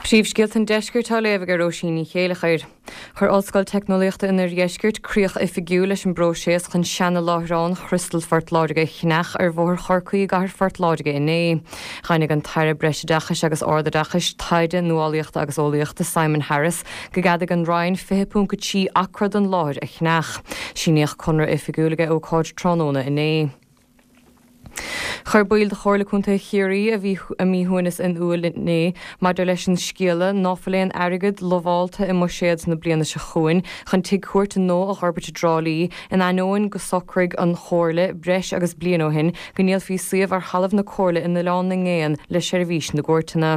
Príomhscéalta an Deiscirt á léamh ag Róisín Ní Chéileachair. Chuir Ollscoil Teicneolaíochta an Oirdheiscirt críoch oifigiúil leis an bpróiseas chun seana-láithreán Chriostal Phort Láirge a cheannach ar Bhóthar Chorcaí i gcathair Phort Láirge inné. Dhaingnigh an tAire Breisoideachais agus Ardoideachais, Taighde, Nuálaíochta agus Eolaíochta Simon Harris go gceadaigh an Roinn 20.3 acra den láthair a cheannach. Síníodh conradh oifigiúil ag ócáid tráthnóna inné. Chuir baill de Chomhairle Contae Chiarraí a bhí a míshuaimhneas in iúl inné maidir leis an scéala ná fuil aon airgead lamhálta i mbuiséad na bliana seo chugainn chun tigh cúirte nua a dh'fhorbairt i dTrá Lí in ainneoin go socraigh an Chomhairle breis agus bliain ó shin go ndíolfaí suíomh ar thalamh na Comhairle in Oileán na nGéanna le seirbhís na gcúirteanna.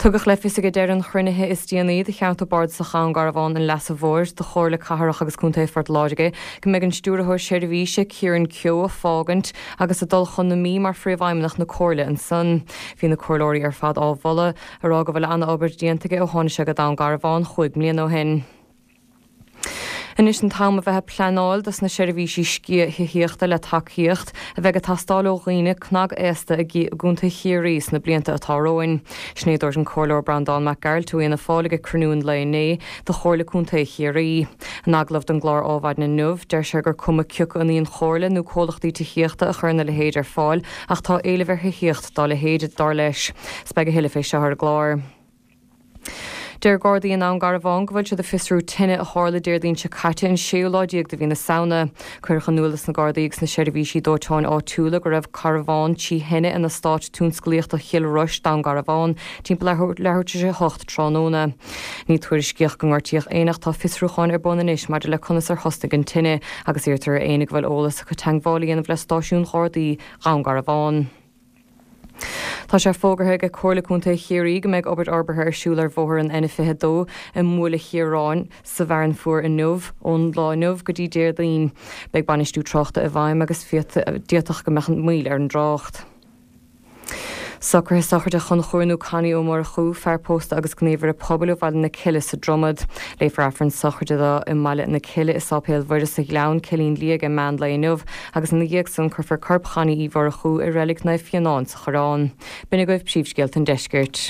Tugadh le fios ag deireadh an chruinnithe is déanaí de Cheantar Bardasach Dhún Garbhán an Leasa Mhóir de Chomhairle Cathrach agus Contae Phort Láirge go mbeidh an Stiúrthóir Seirbhíse, Kieran Keogh, ag fágaint agus ag dul chun na Mí mar Phríomhfheidhmeannach na Comhairle ansan. Bhí na Comhairleoirí ar fad á mholadh, ag rá go bhfuil ana-obair déanta aige ó tháinig sé go Dún Garbhán chúig mbliana ó shin. Anois an t-am a bheith ag pleanáil dos na seirbhísí sciath thithíochta le tacaíocht a bheidh ag teastáil ó dhaoine cnag-aosta i gContae Chiarraí sna blianta atá romhainn. Sin é a dúirt an Comhairleoir Breandán Mac Gearailt ó Fhianna Fáil ag cruinniú an lae inné de Chomhairle Contae Chiarraí. In agallamh don gclár Ádhmhaidin inniu, deir sé gur cuma cioca an í an Chomhairle nó comhlachtaí tithíochta a chuireann a leithéid ar fáil ach tá éileamh ar thithíocht dá leithéid, dar leis. 'S beidh a thuilleadh fé seo ar an gclár. Deir Gardaí i nDún Garbhán go bhfuil siad ag fiosrú tine a tharla Déardaoin seo caite an séú lá déag de mhí na Samhna. Cuireadh in iúl dos na Gardaí agus na seirbhísí dóiteáin áitiúla go raibh carbhán tí thine in Eastát Tionsclaíochta Chill Rois, Dún Garbhán, timpeall leathuair tar éis a 8 tráthnóna. Ní tuairiscíodh go ngortaíodh éinne ach tá fiosrúcháin ar bun anois maidir le conas ar thosnaigh an tine agus iarrtar ar éinne go bhfuil eolas acu teagmháil a dhéanamh le stáisiún Ghardaí Dhún Garbhán. Tá sé fógartha ag Comhairle Contae Chiarraí go mbeidh obair fhorbartha ar siúl ar bhóthar an N22 i mBuaile Chiaráin sa bhFearann Fuar inniu, ón lá inniu go dtí Déardaoin. Beidh bainistiú tráchta i bhfeidhm agus d'fhéadfadh go mbeadh moill ar an dtrácht. Socruithe sochraide Chonchúir nó Connie Ó Murchú, fear pósta agus gníomhaire pobail ó Bhaile na Cille sa Dromad. Léifear Aifreann sochraide dó i mBaile na Cille i Sáipéal Mhuire sa Ghleann, Cillín Liag ag meán lae inniu agus ina dhiaidh san cuirfear corp Chonnie Uí Mhurchú i Reilig Naomh Fionán sa Choireán. B'in agaibh príomhscéalta an deiscirt.